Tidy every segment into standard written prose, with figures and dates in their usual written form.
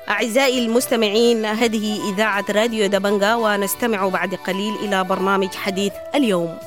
أعزائي المستمعين، هذه إذاعة راديو دبنجا، ونستمع بعد قليل إلى برنامج حديث اليوم.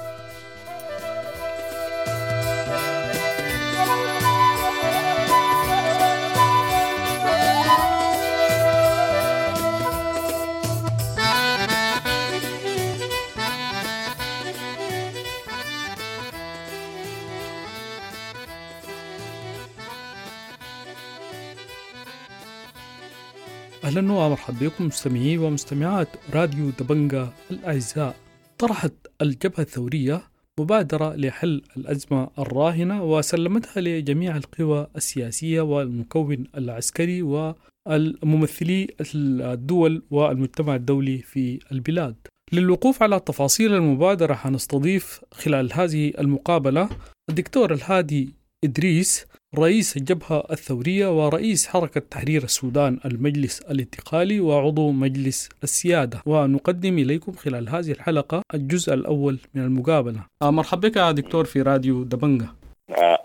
أهلا ومرحبا بكم مستمعي ومستمعات راديو دبنجا الأعزاء. طرحت الجبهة الثورية مبادرة لحل الأزمة الراهنة وسلمتها لجميع القوى السياسية والمكون العسكري والممثلي الدول والمجتمع الدولي في البلاد. للوقوف على تفاصيل المبادرة حنستضيف خلال هذه المقابلة الدكتور الهادي إدريس، رئيس الجبهة الثورية ورئيس حركة تحرير السودان المجلس الانتقالي وعضو مجلس السيادة، ونقدم إليكم خلال هذه الحلقة الجزء الأول من المقابلة. مرحبا بك يا دكتور في راديو دبنجة.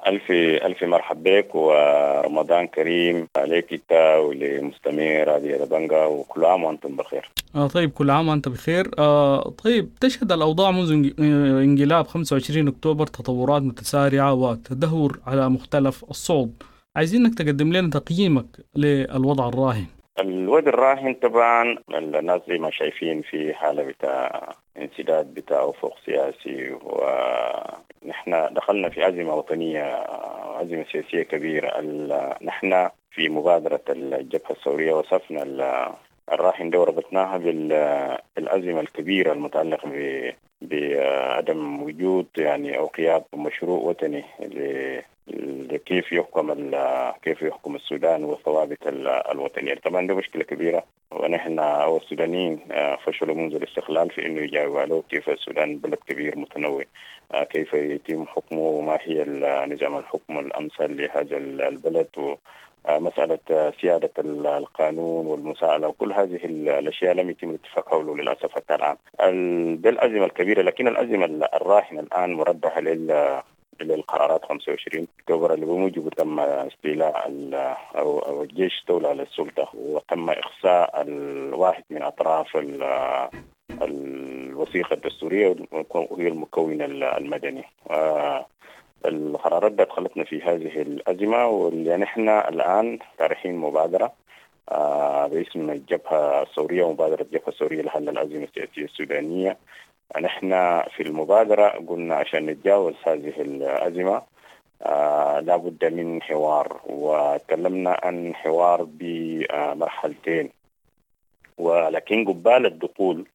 ألف ألف مرحب بك ورمضان كريم عليك أنت ولمستمعي راديو دبنجة، وكل عام وأنتم بخير. طيب، كل عام وأنت بخير. طيب، تشهد الأوضاع منذ انقلاب 25 أكتوبر تطورات متسارعة وتدهور على مختلف الصعد. عايزينك تقدم لنا تقييمك للوضع الراهن. الوضع الراهن طبعا الناس زي ما شايفين في حالة بتاع انسداد بتاع أفق سياسي، ونحن دخلنا في أزمة وطنية، أزمة سياسية كبيرة. نحن في مبادرة الجبهة الثورية وصفنا الراهن ده وربطناها بالأزمة الكبيرة المتعلقة بعدم وجود يعني أو قيام مشروع وطني لكيف يحكم كيف يحكم السودان والثوابت الوطنية. طبعا دي مشكلة كبيرة، ونحن أو السودانيين فشلوا منذ الاستقلال في إنه يجاوبوا عليه كيف السودان بلد كبير متنوع، كيف يتم حكمه وما هي نظام الحكم الأمثل لهذا البلد، ومسألة سيادة القانون والمساءلة وكل هذه الأشياء لم يتم الاتفاق حوله للأسف حتى الآن. دي الأزمة الكبيرة، لكن الأزمة الراهنة الآن مردها للقرارات 25 أكتوبر اللي بموجبه تم استيلاء أو الجيش استولى على السلطة، وتم إخصاء الواحد من أطراف الوثيقة الدستورية وهي المكون المدني. القرارات دخلتنا في هذه الأزمة، واللي نحن الآن طارحين مبادرة باسم الجبهة الثورية، ومبادرة الجبهة الثورية لحل الأزمة السياسية السودانية. نحن في المبادرة قلنا عشان نتجاوز هذه الأزمة لابد من حوار، وتكلمنا عن حوار بمرحلتين، ولكن قبال الدخول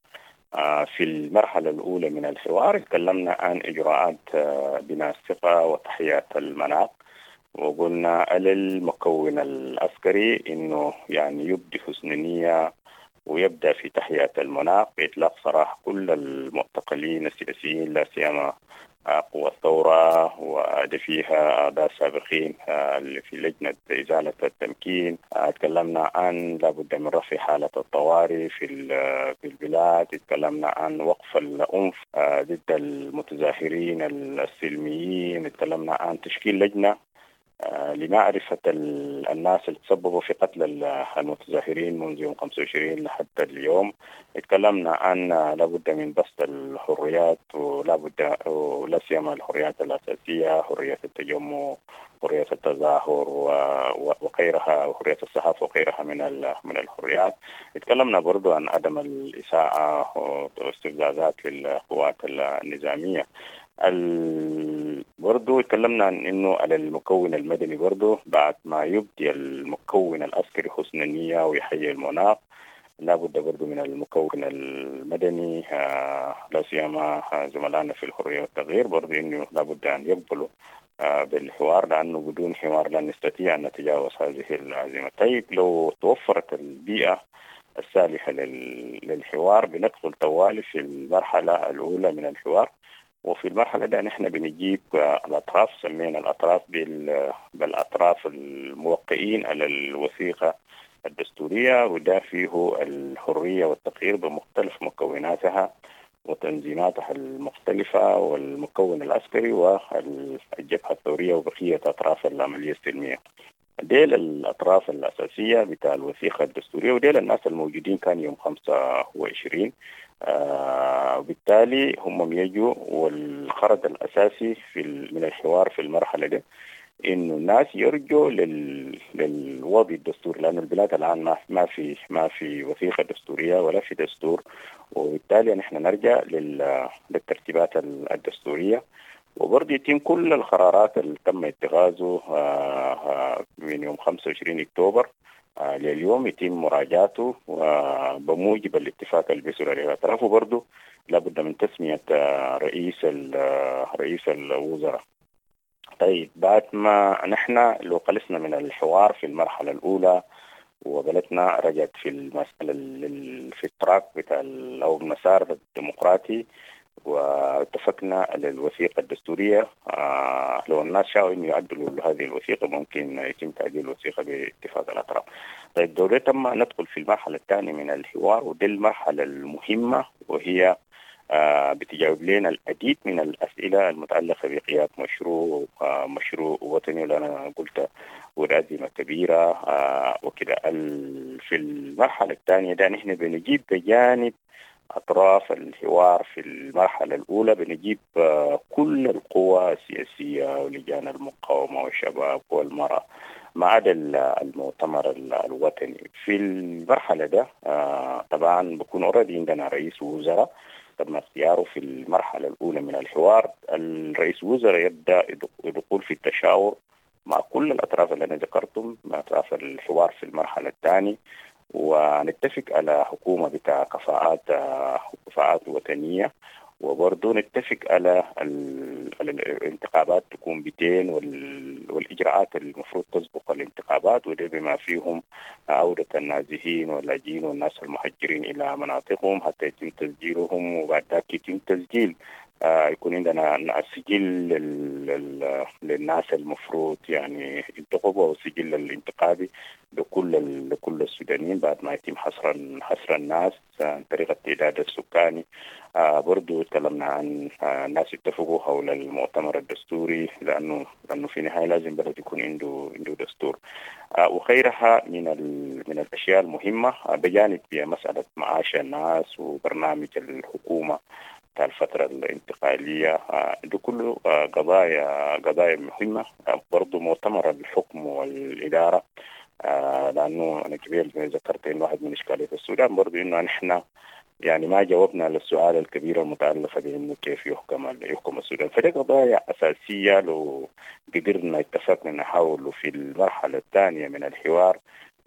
في المرحلة الأولى من الحوار تكلمنا عن إجراءات بناء الثقة وتحيات المناخ، وقلنا للمكون العسكري إنه يعني يبدي حسن نية ويبدأ في تحيات المناخ بإطلاق سراح كل المعتقلين السياسيين، لا سيما قوى الثورة ودفيها أعضاء سابقين اللي في لجنة إزالة التمكين. تكلمنا عن لابد من رفع حالة الطوارئ في البلاد، تكلمنا عن وقف العنف ضد المتظاهرين السلميين، تكلمنا عن تشكيل لجنة لمعرفة الناس اللي تسببوا في قتل المتظاهرين منذ يوم 25 لحتى اليوم. اتكلمنا عن لابد من بسط الحريات، ولابد ولا سيما الحريات الأساسية، حرية التجمع، حرية التظاهر وغيرها، وحرية الصحافة وغيرها من الحريات. اتكلمنا برضو عن عدم الإساءة واستفزازات للقوات النظامية. برضو تكلمنا عن انه على المكون المدني برضو بعد ما يبدي المكون العسكري حسن النية ويحيي المناخ، لابد برضو من المكون المدني لا سيما زملائنا في الحرية والتغيير برضو انه لابد ان يقبلوا بالحوار، لانه بدون حوار لن نستطيع ان نتجاوز هذه الأزمة. طيب لو توفرت البيئة السالفة للحوار. بندخل طوالي في المرحلة الأولى من الحوار، وفي المرحلة دي نحن بنجيب الأطراف، سمينا الأطراف بالأطراف الموقعين على الوثيقة الدستورية، وده فيه الحرية والتغيير بمختلف مكوناتها وتنظيماتها المختلفة والمكون العسكري والجبهة الثورية وبقية أطراف العملية السلمية. ديل الأطراف الأساسية بتاع الوثيقة الدستورية، وديل الناس الموجودين كان يوم 25. وبالتالي هم يجوا، والغرض الأساسي من الحوار في المرحلة دي إنه الناس يرجوا للوضع الدستوري، لأن البلاد الآن ما في وثيقة دستورية ولا في دستور، وبالتالي نحن نرجع للترتيبات الدستورية، وبرضه يتم كل القرارات اللي تم اتخاذه من يوم 25 أكتوبر لليوم يتم مراجعته بموجب الاتفاق اللي بيصل عليه الأطراف. وبرضه لابد من تسمية رئيس الوزراء. طيب بعد ما نحن لو خلصنا من الحوار في المرحلة الأولى وبلدنا رجعت في المسألة في التراك بتاع أو المسار الديمقراطي، واتفقنا على الوثيقة الدستورية، لو الناس شاءوا إنه يعدلوا هذه الوثيقة ممكن يتم تعديل الوثيقة باتفاق الأطراف. طيب دوري تم ندخل في المرحلة الثانية من الحوار، ودي المرحلة المهمة، وهي بتجاوب لنا العديد من الأسئلة المتعلقة بقيادة مشروع وطني، اللي أنا قلت والأزمة كبيرة وكده. في المرحلة الثانية ده نحن بنجيب بجانب أطراف الحوار في المرحلة الأولى، بنجيب كل القوى السياسية ولجان المقاومة والشباب والمرأة ما عدا المؤتمر الوطني. في المرحلة ده طبعا بكون already عندنا رئيس وزراء تم اختياره في المرحلة الأولى من الحوار. الرئيس وزراء يبدأ الدخول في التشاور مع كل الأطراف اللي أنا ذكرتهم، مع أطراف الحوار في المرحلة الثانية، ونتفق على حكومة بتاع كفاءات وطنية، وبرضه نتفق على الانتخابات تكون 200 والإجراءات المفروض تسبق الانتخابات، وده بما فيهم عودة النازحين واللاجئين والناس المهجرين إلى مناطقهم حتى يتم تسجيلهم، وبعد ذلك يتم تسجيل يكون عندنا سجل للناس المفروض يعني ينتخبوا، أو سجل الانتخابي لكل السودانيين بعد ما يتم حصر الناس عن طريق التعداد السكاني. برضو تكلمنا عن الناس اتفقوا حول المؤتمر الدستوري، لأنه في النهاية لازم بلد يكون عنده دستور، وغيرها من الأشياء المهمة، بجانب مسألة معاش الناس وبرنامج الحكومة بتاع الفترة الانتقالية. ده كله قضايا مهمة. برضو مؤتمر الحكم والإدارة، لأنه أنا كبير ذكرت إنه واحد من إشكاليات السودان برضو إنه نحن يعني ما جاوبنا للسؤال الكبير المتعلق بأنه كيف يحكم السودان. فدي قضايا أساسية لو قدرنا اتفقنا نحاول في المرحلة الثانية من الحوار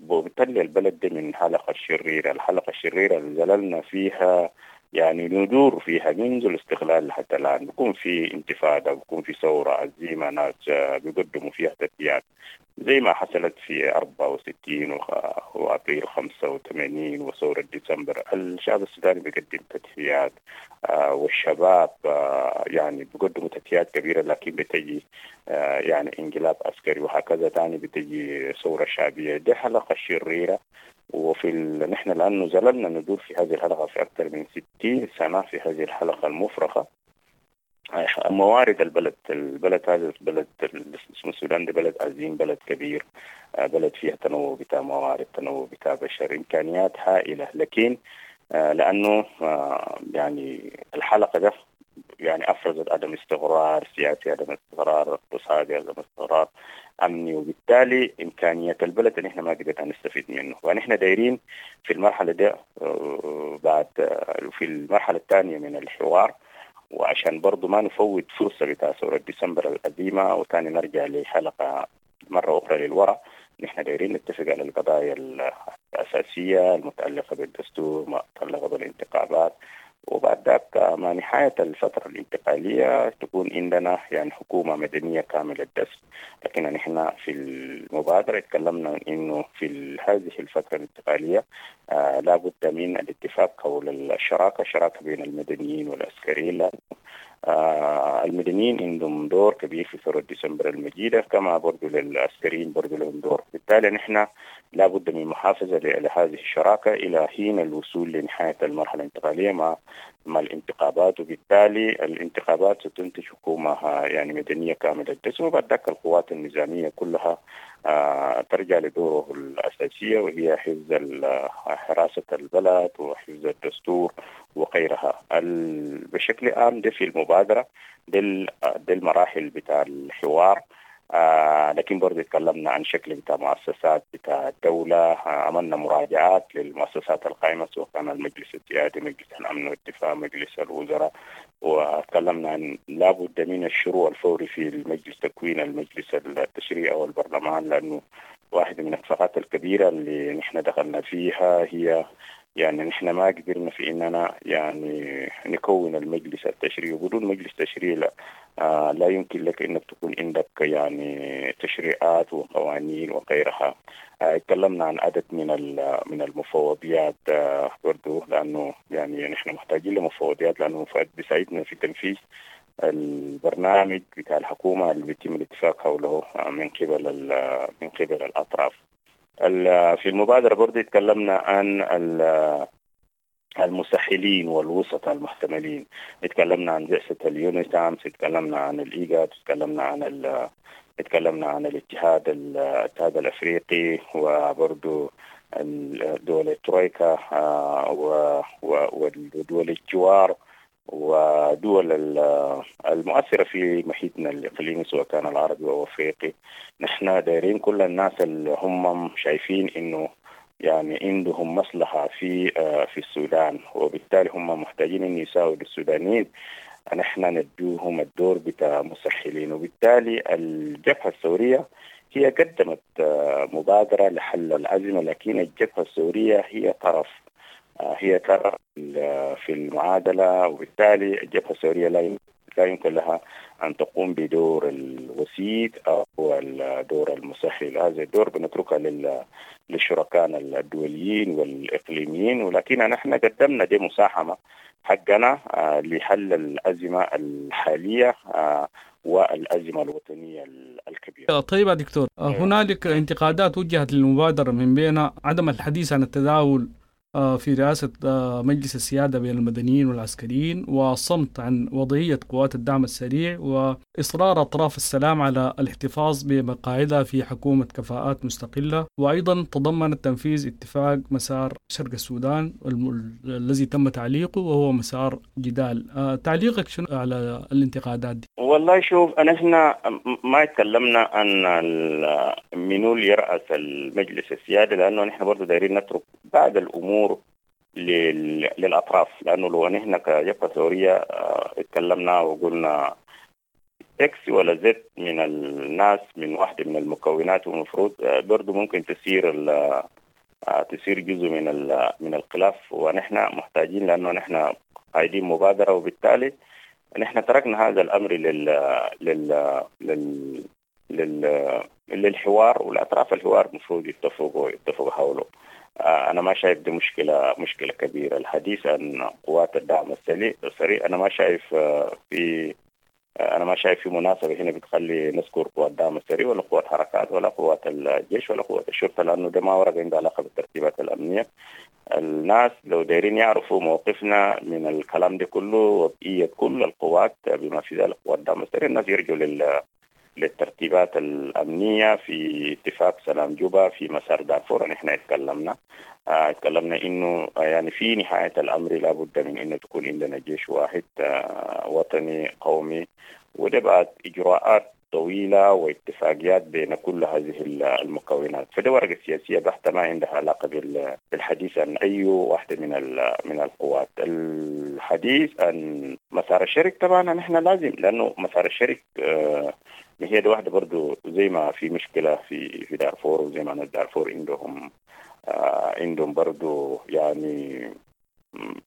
وبالتالي البلد دي من حلقة الشريرة، الحلقة الشريرة اللي زللنا فيها يعني ندور فيها منذ الاستقلال حتى الآن. بيكون في انتفاضة، بيكون في ثورة عزيمة، ناس بيقدموا فيها تدفيات زي ما حصلت في 64 وأبريل 85 وثورة ديسمبر. الشعب السوداني بيقدم تدفيات، والشباب يعني بيقدموا تدفيات كبيرة، لكن بتجي يعني انقلاب عسكري وهكذا، تاني بتجي ثورة شعبية. دي حلقة شريرة، وفي نحن لأنه زللنا ندور في هذه الحلقة في أكثر من 60 سنة في هذه الحلقة المفرغة. موارد البلد هذا البلد اسمه السودان، ده بلد عظيم، بلد كبير، بلد فيها تنوع بتاع موارد، تنوع بتاع بشر، إمكانيات هائلة، لكن لأنه يعني الحلقة ده يعني أفرزت عدم استقرار سياسي، عدم استقرار اقتصادي، عدم استقرار أمني، وبالتالي إمكانيات البلد اللي إحنا ما قدرنا نستفيد منه. ونحن دايرين في المرحلة دي بعد في المرحلة الثانية من الحوار، وعشان برضو ما نفوت فرصة بتاع ثورة ديسمبر القديمة وتاني نرجع لحلقة مرة أخرى للوراء، نحن دايرين نتفق على القضايا الأساسية المتعلقة بالدستور، المتعلقة بالانتخابات، وبعد ذاك مع نهاية الفترة الانتقالية تكون عندنا يعني حكومة مدنية كاملة الدسم. لكن نحن في المبادرة تكلمنا إنه في هذه الفترة الانتقالية لا بد من الاتفاق حول الشراكة، شراكة بين المدنيين والعسكريين. المدنيين عندهم دور كبير في ثورة ديسمبر المجيدة، كما برضو للعسكريين برضو لهم دور. بالتالي نحن لا بد من محافظة لهذه الشراكة إلى حين الوصول لنهاية المرحلة الانتقالية مع الانتخابات، وبالتالي الانتخابات ستنتج حكومة يعني مدنية كاملة الدسم، وبعد ذاك القوات النظامية كلها ترجع لدوره الأساسية، وهي حفظ حراسة البلد وحفظ الدستور وغيرها. بشكل عام ده في المبادرة، ده المراحل بتاع الحوار. لكن برضه تكلمنا عن شكل بتاع مؤسسات بتاع الدولة، عملنا مراجعات للمؤسسات القائمة سواء كان المجلس السيادي، مجلس الأمن والدفاع، مجلس الوزراء، وتكلمنا عن لابد من الشروع الفوري في المجلس، تكوين المجلس التشريعي أو البرلمان، لأنه واحدة من الثغرات الكبيرة اللي نحن دخلنا فيها هي يعني نحن ما قدرنا في إننا يعني نكون المجلس التشريعي، وبدون مجلس تشريعي لا يمكن لك إنك تكون عندك يعني تشريعات وقوانين وغيرها. تكلمنا عن عدد من المفوضيات برضو، لأنه يعني نحن محتاجين لمفوضيات، لأنه المفوضيات بيساعدنا في تنفيذ البرنامج بتاع الحكومة اللي بيتم الاتفاق حوله من قبل الأطراف. في المبادرة برضو تكلمنا عن المسحلين والوسط المحتملين، تكلمنا عن بعثة اليونيتام، تكلمنا عن الإيجاد، تكلمنا عن الاتحاد الأفريقي، وبرضو دول الترويكا ودول الجوار ودول المؤثرة في محيطنا الإقليمي سواء كان العربي أو الأفريقي. نحن دايرين كل الناس اللي هم شايفين إنه يعني عندهم مصلحة في السودان، وبالتالي هم محتاجين إن يساعدوا السودانيين، نحن ندوهم الدور بتاع مسحلين. وبالتالي الجبهة الثورية هي قدمت مبادرة لحل الأزمة، لكن الجبهة الثورية هي طرف، هي طرف في المعادلة، وبالتالي الجبهة الثورية لا يمكن لها أن تقوم بدور الوسيط أو الدور المسهل. هذا الدور بنتركه للشركاء الدوليين والإقليميين، ولكن نحن قدمنا دي مساهمة حقنا لحل الأزمة الحالية والأزمة الوطنية الكبيرة. طيب يا دكتور، هنالك انتقادات وجهت للمبادرة من بين عدم الحديث عن التداول في رئاسة مجلس السيادة بين المدنيين والعسكريين، والصمت عن وضعية قوات الدعم السريع، وإصرار أطراف السلام على الاحتفاظ بمقاعدها في حكومة كفاءات مستقلة، وأيضا تضمن تنفيذ اتفاق مسار شرق السودان الذي تم تعليقه وهو مسار جدال. تعليقك شنو على الانتقادات دي؟ والله شوف، نحن ما تكلمنا عن منو اللي يرأس المجلس السيادي، لأنه نحن برضو دايرين نترك بعض الأمور للأطراف، لأنه لو نحن كجبهة ثورية اتكلمنا وقلنا X ولا Z من الناس من واحدة من المكونات، والمفروض برضو ممكن تسير جزء من الخلاف، ونحن محتاجين لأنه نحن قايدين مبادرة، وبالتالي نحن تركنا هذا الأمر لل لل لل لل للحوار، والأطراف الحوار المفروض يتفقوا حوله. أنا ما شايف دي مشكلة كبيرة. الحديث عن قوات الدعم السريع أنا ما شايف في مناسبة هنا بتخلي نذكر قوات الدعم السريع ولا قوات حركات ولا قوات الجيش ولا قوات الشرطة، لأنه ده ما ورقة عنده علاقة بالترتيبات الأمنية. الناس لو دايرين يعرفوا موقفنا من الكلام ده كله وبقية كل القوات بما في ذلك قوات الدعم السريع، الناس يرجعوا للترتيبات الأمنية في اتفاق سلام جوبا في مسار دارفور. نحن اتكلمنا إنه يعني في نهاية الأمر لابد من إنه تكون عندنا جيش واحد وطني قومي، وده بعد إجراءات طويلة واتفاقيات بين كل هذه المكونات. فده ورقة سياسية بحتة ما عندها علاقة بالحديث عن أي واحدة من القوات. الحديث عن مسار الشرق طبعا نحن لازم، لأنه مسار الشرق هي دي واحدة برضو زي ما في مشكلة في دارفور، وزي ما ناس دارفور عندهم برضو يعني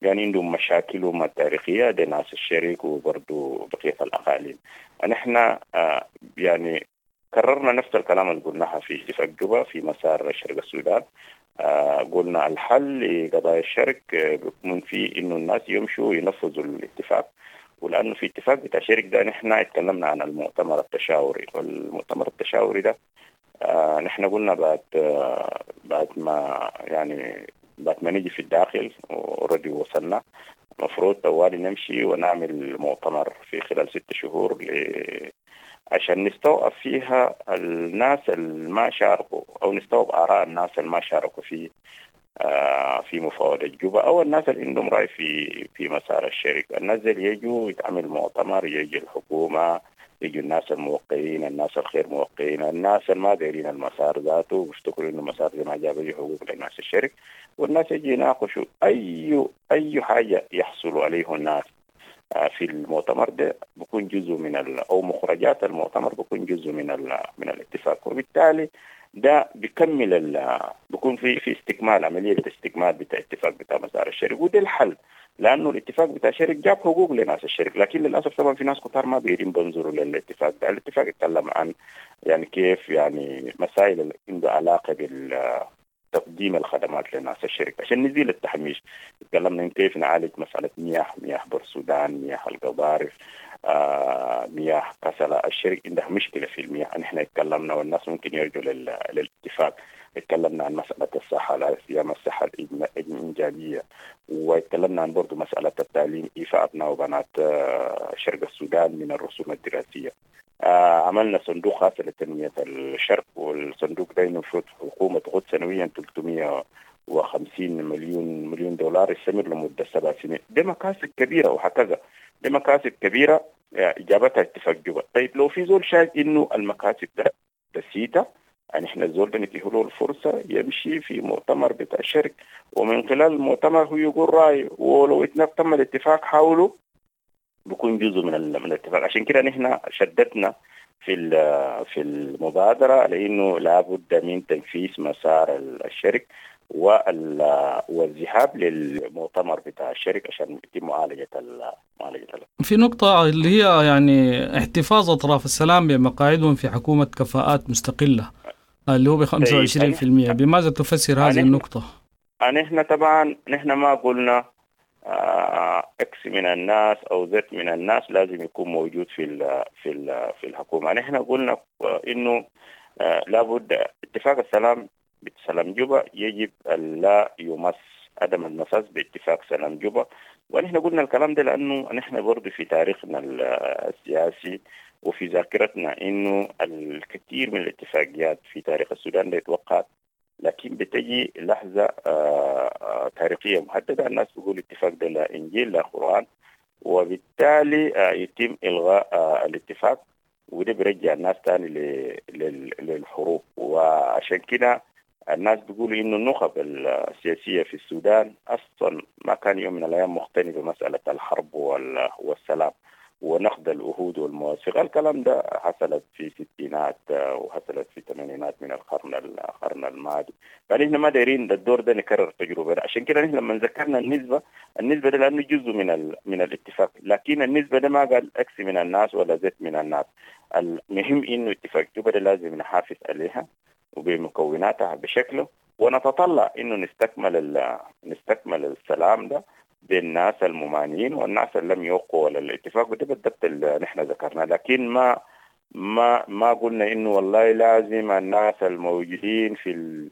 يعني عندهم مشاكلهم التاريخية دي ناس الشرق وبرضو بقية الأقاليم. نحن يعني كررنا نفس الكلام اللي قلناها في اتفاق جوبا في مسار شرق السودان. قلنا الحل لقضايا الشرق بيكون في إنه الناس يمشوا ينفذوا الاتفاق، ولأنه في اتفاق بتاع الشرق ده نحن اتكلمنا عن المؤتمر التشاوري، والمؤتمر التشاوري ده نحن قلنا بعد ما يعني بعد ما نيجي في الداخل already وصلنا المفروض طوالي نمشي ونعمل مؤتمر في خلال 6 شهور عشان نستوعب فيها الناس اللي ما شاركوا، أو نستوعب آراء الناس اللي ما شاركوا في مفاوضة جوبا، أو الناس اللي عندهم رأي في مسار الشرق. الناس اللي يجوا يتعمل مؤتمر، يجي الحكومة، يجوا الناس الموقعين، الناس الخير موقعين، الناس اللي ما دايرين المسار ذاته وبيفتكروا إنه المسار ده ما جاب أي حقوق للناس الشرق، والناس يجي يناقشوا أي حاجة يحصلوا عليه الناس في المؤتمر ده بيكون جزء من أو مخرجات المؤتمر بيكون جزء من الاتفاق، وبالتالي ده بيكمل بيكون في استكمال، عملية استكمال بتاع اتفاق بتاع مسار الشرق. وده الحل، لأنه الاتفاق بتاع الشرق جاب حقوق لناس الشرق، لكن للأسف طبعا في ناس كتار ما بيرين بنظروا للاتفاق ده. الاتفاق يتكلم عن يعني كيف يعني مسائل اللي عنده علاقة بالتقديم الخدمات لناس الشرق عشان نزيل التحميش. تكلمنا عن كيف نعالج مسألة مياه بورسودان، مياه القضارف، مياه كسلة. الشرق عندها مشكلة في المياه، نحن اتكلمنا والناس ممكن يرجعوا للاتفاق. اتكلمنا عن مسألة الصحة، لا سيما الصحة الإنجابية، واتكلمنا عن برضو مسألة التعليم، إيفاء أبناء وبنات شرق السودان من الرسوم الدراسية. عملنا صندوق خاص لتنمية الشرق، والصندوق ده المفروض الحكومة تاخذ سنويا 350 مليون دولار يستمر لمدة 7 سنين. دي مكاسب كبيرة، وهكذا دي مكاسب كبيرة إجابتها اتفاق جوبا. طيب لو في زول شايف إنه المكاسب ده تسيتة، يعني إحنا الزول ده نديه له الفرصة يمشي في مؤتمر بتاع الشرق، ومن خلال المؤتمر هو يقول رأي، ولو تم الاتفاق حوله بيكون جزء من الاتفاق. عشان كده نحن شددنا في المبادرة لأنه لابد من تنفيذ مسار الشرق والذهاب للمؤتمر بتاع الشرق عشان يتم معالجة. في نقطة اللي هي يعني احتفاظ أطراف السلام بمقاعدهم في حكومة كفاءات مستقلة اللي هو ب 25%، بماذا تفسر هذه النقطة؟ نحن طبعا نحن ما قلنا X من الناس أو Z من الناس لازم يكون موجود في الحكومة. نحن قلنا إنه لابد اتفاق السلام بسلام جوبا يجب ألا يمس، عدم المساس باتفاق سلام جوبا. ونحن قلنا الكلام ده لأنه نحن برضو في تاريخنا السياسي وفي ذاكرتنا إنه الكثير من الاتفاقيات في تاريخ السودان لا يتوقع، لكن بتجي لحظة تاريخية محددة الناس بيقول اتفاق ده لا إنجيل لا قرآن، وبالتالي يتم إلغاء الاتفاق، وده بيرجع الناس تاني للحروب. وعشان كده الناس بيقولوا إنه النخب السياسية في السودان أصلا ما كان يوم من الأيام مقتنع بمسألة الحرب والسلام ونقد العهود والمواثيق. الكلام ده حصلت في الستينات وحصلت في الثمانينات من القرن الماضي. فنحن ما دايرين الدور ده نكرر التجربة. عشان كده نحن لما ذكرنا النسبة ده لأنه جزء من الاتفاق، لكن النسبة ده ما قال X من الناس ولا Z من الناس. المهم إنه اتفاق جوبا ده لازم نحافظ عليها وبمكوناتها بشكله، ونتطلع إنه نستكمل السلام ده بالناس الممانعين والناس اللي لم يوقعوا على الاتفاق. وده بالضبط اللي نحن ذكرناه، لكن ما قلنا انه والله لازم الناس الموجودين في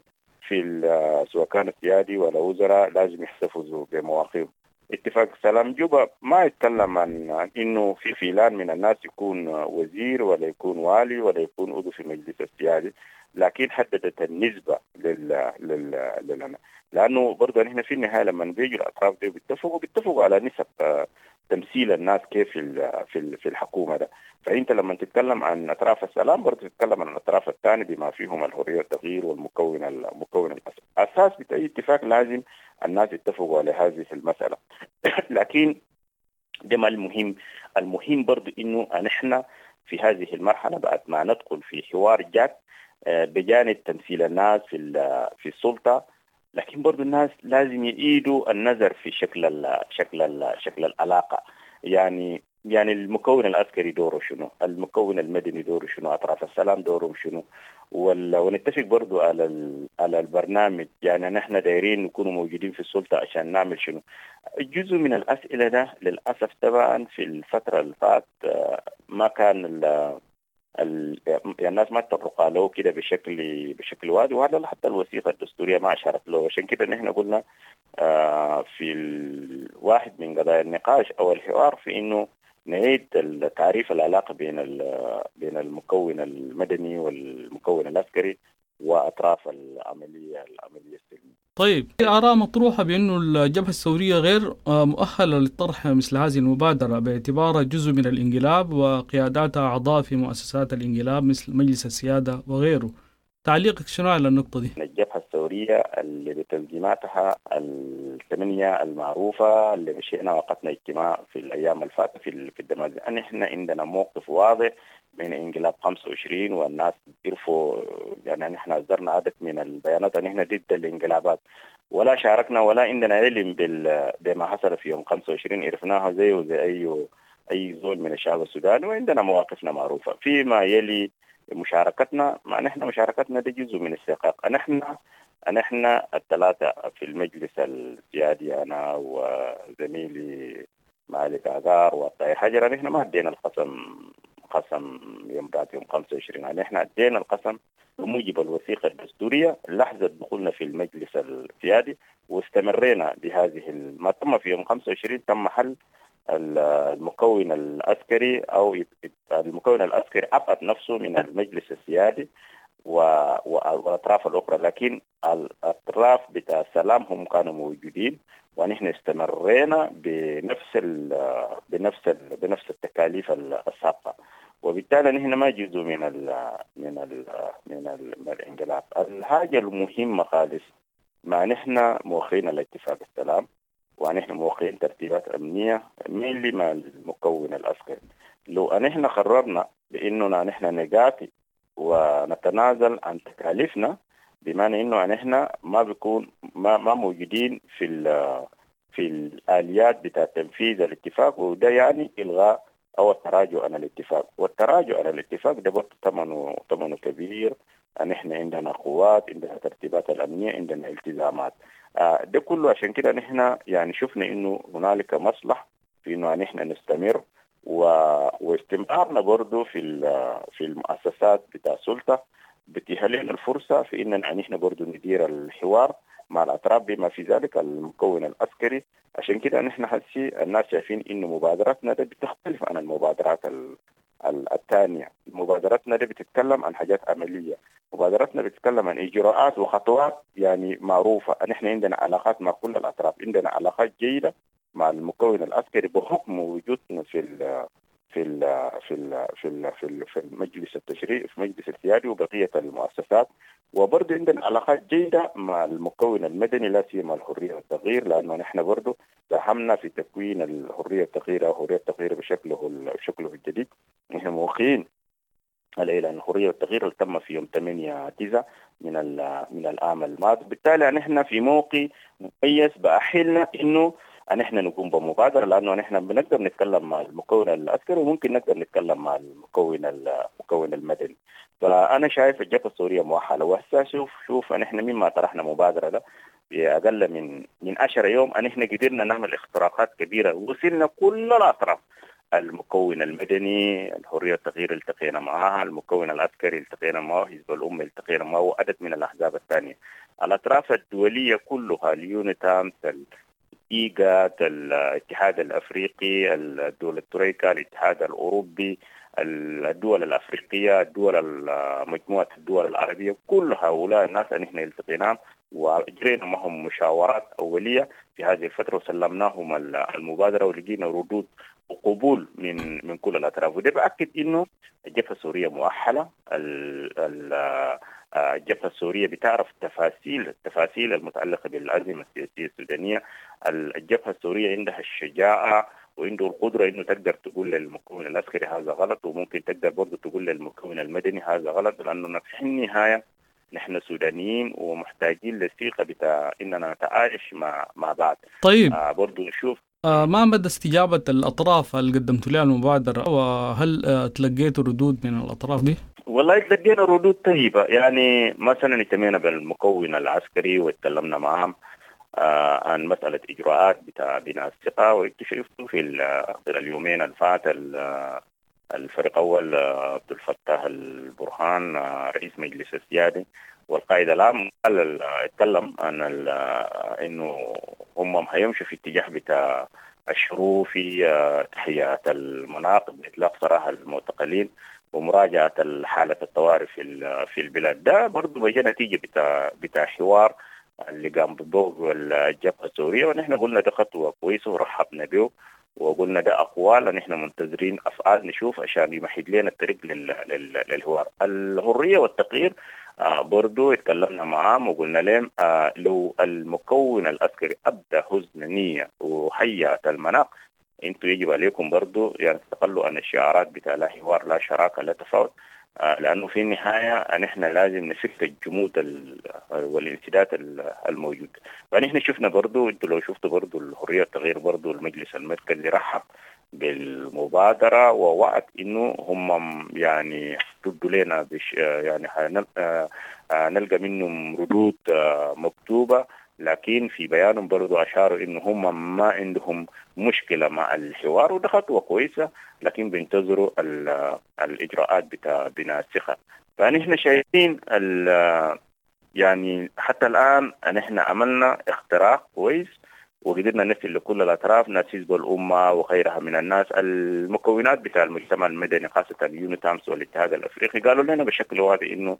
سواء كان سيادي ولا وزراء لازم يحتفظوا بمواقفهم. اتفاق سلام جوبا ما يتكلم عن انه في فلان من الناس يكون وزير ولا يكون والي ولا يكون عضو في المجلس السيادي، لكن حددت النسبة لل لأنه برضه نحن في النهاية لما بيجوا الأطراف دي بيتفقوا على نسب تمثيل الناس كيف في الحكومة ده. فأنت لما تتكلم عن أطراف السلام برضه تتكلم عن الأطراف الثانية بما فيهم الحرية والتغيير والمكون المكون الأساس بتاع أي اتفاق لازم الناس يتفقوا على هذه المسألة. لكن ده ما المهم. المهم برضه إنه نحن في هذه المرحلة بعد ما ندخل في حوار جاد بجانب تمثيل الناس في السلطة، لكن برضو الناس لازم يعيدوا النظر في شكل ال شكل ال شكل العلاقة. يعني المكون العسكري دوره شنو، المكون المدني دوره شنو، أطراف السلام دورهم شنو، ونتفق برضو على البرنامج. يعني نحن دايرين نكون موجودين في السلطة عشان نعمل شنو. جزء من الأسئلة ده للأسف طبعا في الفترة اللي فات ما كان يعني الناس ما تطرقوا له كده بشكل واضح، وهذا حتى الوثيقة الدستورية ما أشارت له. عشان كده نحن قلنا في الواحد من قضايا النقاش أو الحوار في إنه نعيد تعريف العلاقة بين المكون المدني والمكون العسكري وأطراف العملية السلمية. طيب، في آراء مطروحة بأنه الجبهة الثورية غير مؤهلة لطرح مثل هذه المبادرة باعتبارها جزء من الانقلاب وقياداتها أعضاء في مؤسسات الانقلاب مثل مجلس السيادة وغيره. تعليقك شنو على النقطة دي؟ الجبهة الثورية اللي بتنظيماتها الثمانية المعروفة اللي مشينا وقتنا اجتماع في الأيام الفاتة في الدمازين، نحن عندنا موقف واضح من انقلاب 25، والناس يعرفوا. يعني نحن أصدرنا عدد من البيانات أن نحن ضد الانقلابات، ولا شاركنا ولا عندنا علم بما حصل في يوم 25، عرفناها زي وزي أي زول من الشعب السوداني، وعندنا مواقفنا معروفة. فيما يلي مشاركتنا، ما نحن مشاركتنا دي جزء من السياق. نحن الثلاثة في المجلس السيادي، أنا وزميلي مالك عقار والطاهر حجر، نحن ما ادينا القسم قسم يوم بعد يوم 25، يعني نحن ادينا القسم بموجب الوثيقة الدستورية لحظة دخولنا في المجلس السيادي، واستمرينا بهذه. ما تم في يوم 25 تم حل المكون العسكري، أو المكون العسكري أبعد نفسه من المجلس السيادي والأطراف الأخرى، لكن الأطراف بتاع السلام هم كانوا موجودين، ونحن استمرينا بنفس بنفس التكاليف السابقة، وبالتالي نحن ما جزء من ال من ال من, ال من الانقلاب. الحاجة المهمة خالص، ما نحن موقعين الاتفاق السلام، ونحن موقعين ترتيبات أمنية مين مع المكون العسكري. لو نحن قررنا بأننا نحن نقاتل ونتنازل عن تكاليفنا، بمعنى إنه نحن ما بيكون ما موجودين في الآليات بتاع تنفيذ الاتفاق، وده يعني إلغاء أو التراجع عن الاتفاق. والتراجع عن الاتفاق ده برضه ثمنه كبير. نحن عندنا قوات، عندنا ترتيبات الأمنية، عندنا التزامات، ده كله. عشان كده نحن يعني شفنا إنه هنالك مصلحة في إنه نحن نستمر، واستمرارنا برضه في المؤسسات بتاع السلطة بتيح لنا الفرصة في إننا نحن برضه ندير الحوار مع الأطراف بما في ذلك المكون العسكري. عشان كده نحن حسي الناس شايفين إنه مبادرتنا ده بتختلف عن المبادرات الثانية. مبادرتنا دي بتتكلم عن حاجات عملية، مبادرتنا بتتكلم عن إجراءات وخطوات يعني معروفة. نحن عندنا علاقات مع كل الأطراف، عندنا علاقات جيدة مع المكون العسكري بحكم وجودنا في ال في ال في ال في ال في, ال في المجلس التشريعي، في مجلس السيادي وبقية المؤسسات. وبرضه عندنا علاقات جيدة مع المكون المدني، لا سيما الحرية والتغيير، لأنه نحن برضه ساهمنا في تكوين الحرية والتغيير أو حرية التغيير بشكله الجديد. نحن موقعين على إعلان الحرية والتغيير اللي تم في يوم 8/9 من العام الماضي. بالتالي نحن في موقع مميز بأحلنا إنه نحن نقوم بمبادرة، لأنه نحن بنقدر نتكلم مع المكون العسكري وممكن نقدر نتكلم مع المكون المدني. فأنا شايف الجبهة الثورية مؤهلة. وهسه شوف نحن مما طرحنا مبادرة ده بأقل من 10 يوم نحن قدرنا نعمل اختراقات كبيرة، وصلنا كل الأطراف، المكون المدني، الحرية التغيير التقينا معها، المكون العسكري التقينا معه، حزب الأمة التقينا معه، وعدد من الأحزاب الثانية. الأطراف الدولية كلها، اليونيتامس، الإيغاد، الاتحاد الأفريقي، الدول التريكا، الاتحاد الأوروبي، الدول الأفريقية، الدول مجموعة الدول العربية، كل هؤلاء الناس نحن التقيناهم وأجرينا معهم مشاورات أولية في هذه الفترة، وسلمناهم المبادرة ولقينا ردود وقبول من كل الأطراف. وده بأكد إنه الجبهة السورية مؤهلة. الجبهة السورية بتعرف التفاصيل المتعلقة بالأزمة السياسية السودانية. الجبهة السورية عندها الشجاعة وعنده القدرة إنه تقدر تقول للمكون العسكري هذا غلط، وممكن تقدر برضه تقول للمكون المدني هذا غلط، لأنه في النهاية نحن سودانيين ومحتاجين للثقة بتاع اننا نتعايش مع بعض. طيب، برضو نشوف ما مدى استجابة الأطراف اللي قدمتوا لها المبادرة، وهل تلقيتوا ردود من الأطراف دي؟ والله تلقينا ردود طيبة، يعني مثلا اهتمينا بالمكون العسكري واتكلمنا معهم عن مسألة إجراءات بتاع بناء الثقة، وانتوا شفتوا في اليومين الفات الفريق أول عبد الفتاح البرهان رئيس مجلس السيادة والقائد العام قال اتكلم عن انه هم هيمشوا في اتجاه بتاع الشروع في تحيات المناطق بإطلاق سراح المعتقلين ومراجعة حالة الطوارئ في البلاد. ده برضه بيجي نتيجة بتاع حوار اللي قام بالضوء الجبهة السورية، ونحن قلنا ده خطوة كويسة ورحبنا به، وقلنا ده أقوال نحن منتظرين أفعال نشوف عشان يمهد لنا الطريق للحوار. الحرية والتغيير برضو اتكلمنا معاهم وقلنا لهم لو المكون العسكري أبدى حسن نية وحيات المناخ، انتوا يجب عليكم برضو يعني تتخلوا عن الشعارات بتاع لا حوار لا شراكة لا تفاوض، لأنه في النهاية نحن لازم نفك الجمود والانسداد الموجود. فنحن شفنا برضو، انتوا لو شفتوا برضو الحرية والتغيير برضو المجلس المركزي رحب بالمبادرة ووعد انه هم يعني ردوا لنا يعني نلقى منهم ردود مكتوبة، لكن في بيانهم برضو أشاروا إنه هم ما عندهم مشكلة مع الحوار، وده خطوة كويسة، لكن بينتظروا الإجراءات بتاع بناء الثقة. فنحن شايفين يعني حتى الآن نحن عملنا اختراق كويس وقدرنا نصل لكل الأطراف، ناس حزب الأمة وغيرها من الناس، المكونات بتاع المجتمع المدني خاصة اليونيتامس والاتحاد الأفريقي قالوا لنا بشكل واضح إنه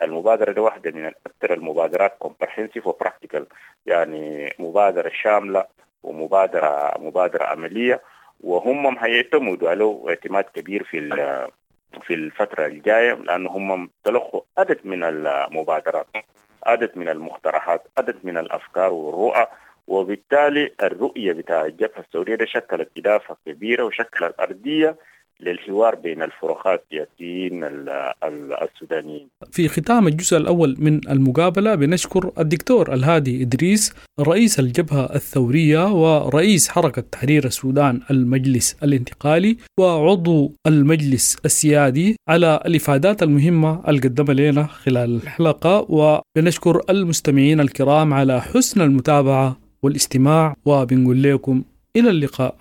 المبادرة دي واحدة من أكثر المبادرات comprehensive و practical، يعني مبادرة شاملة ومبادرة مبادرة عملية، وهم هيعتمدوا عليه اعتماد كبير في الفترة الجاية، لأنه هم تلقوا عدد من المبادرات، عدد من المقترحات، عدد من الأفكار والرؤى، وبالتالي الرؤية بتاع الجبهة الثورية ده شكلت إضافة كبيرة وشكلت أرضية للحوار بين الفرقاء السياسيين السودانيين. في ختام الجزء الأول من المقابلة بنشكر الدكتور الهادي إدريس رئيس الجبهة الثورية ورئيس حركة تحرير السودان المجلس الانتقالي وعضو المجلس السيادي على الإفادات المهمة اللي قدمها لنا خلال الحلقة، وبنشكر المستمعين الكرام على حسن المتابعة والاستماع، وبنقول لكم إلى اللقاء.